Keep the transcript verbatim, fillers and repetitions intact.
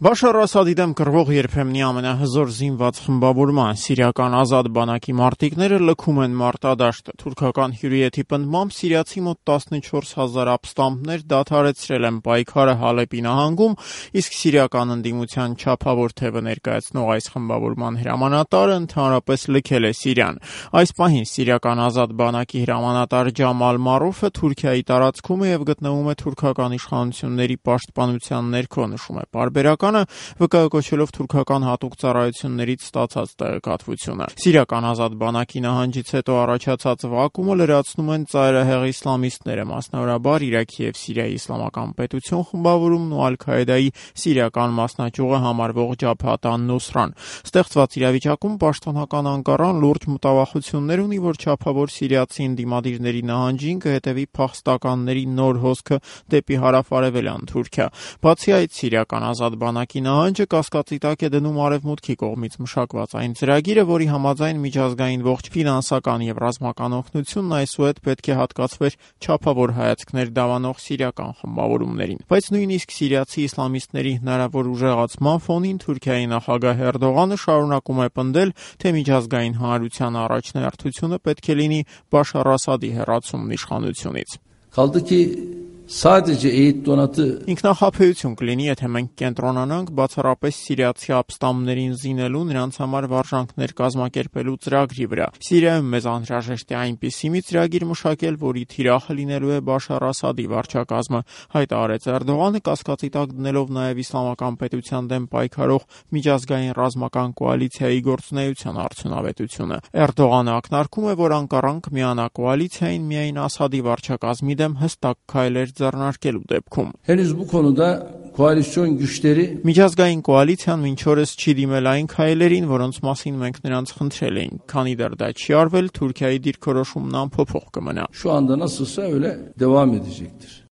Բաշար Ասադի դեմ կռվող երբեմնի ամենահզոր զինված խմբավորման սիրիական ազատ բանակի մարտիկները լքում են մարտադաշտը։ Թուրքական հյուրիեթի պնդմամբ սիրիացի մոտ տասնչորս հազար ապստամբներ դադարեցրել են պայքարը Հալեպի նահանգում, իսկ սիրիական ընդդիմության չափավոր թևը ներկայացնող այս խմբավորման հրամանատարը ընդհանրապես լքել է Սիրիան։ Այս պահին սիրիական ազատ բանակի հրամանատար Ջամալ Մարուֆը Թուրքիայի տարածքում է եւ գտնվում է թուրքական իշխանությունների պաշտպանության ներքո, նշում է պարբերական վկայակոչելով թուրքական հատուկ ծառայություններից ստացած տեղեկատվությունը։ Սիրիական ազատ բանակի նահանջից հետո առաջացած վակումը լրացնում են ծայրահեղ իսլամիստները, մասնավորաբար Իրաքի եւ Սիրիայի իսլամական պետություն խմբավորումն ու Ալ-Քաիդայի սիրիական մասնաճյուղը համարվող Ջաբհաթ ան-Նուսրան։ Ստեղծված իրավիճակում պաշտոնական Անկարան լուրջ մտավախություններ ունի, որ չափավոր սիրիացի ընդդիմադիրների նահանջին կհետևի փախստականների նոր հոսքը դեպի հարավ-արևելյան Թուրքիա։ Բացի այդ, սիրիական ազատ բանակի նահանջը կասկածի տակ է դնում Արևմուտքի կողմից մշակված այն ծրագիրը, որի համաձայն միջազգային ողջ ֆինանսական եւ ռազմական օգնությունն այսուհետ պետք է հատկացվեր չափավոր հայացքներ դավանող սիրիական խմբավորումներին։ Բայց նույնիսկ սիրիացի իսլամիստների հնարավոր ուժեղացման ֆոնին Թուրքիայի նախագահ Էրդողանը շարունակում է պնդել, թե միջազգային հանրության առաջնահերթությունը պետք է լինի Բաշար Ասադի հեռացումն իշխանությունից։ Kaldı ki sadece eğit donatı Ինքնախաբեություն կլինի, եթե մենք կենտրոնանանք բացառապես սիրիացի ապստամբներին զինելու, նրանց համար վարժանքներ կազմակերպելու ծրագրի վրա։ Սիրիայում մեզ անհրաժեշտ է այնպիսի մի ծրագիր մշակել, որի թիրախը լինելու է Բաշար Ասադի վարչակազմը, հայտարարեց Էրդողանը, կասկածի տակ դնելով նաև իսլամական պետության դեմ պայքարող միջազգային ռազմական կոալիցիայի գործունեության արդյունավետությունը։ Էրդողանը ակնարկում է, որ Անկարան կմիանա կոալիցիային միայն Ասադի վարչակազմի դեմ հստակ քայլեր ձեռնարկելու դեպքում։ henüz bu konuda koalisyon güçleri Միջազգային կոալիցիան մինչ օրս չի դիմել այն քայլերին, որոնց մասին մենք նրանց խնդրել էինք։ Քանի դեռ դա չի արվել, Թուրքիայի դիրքորոշումն անփոփոխ կմնա։ şu anda nasılsa öyle devam edecektir.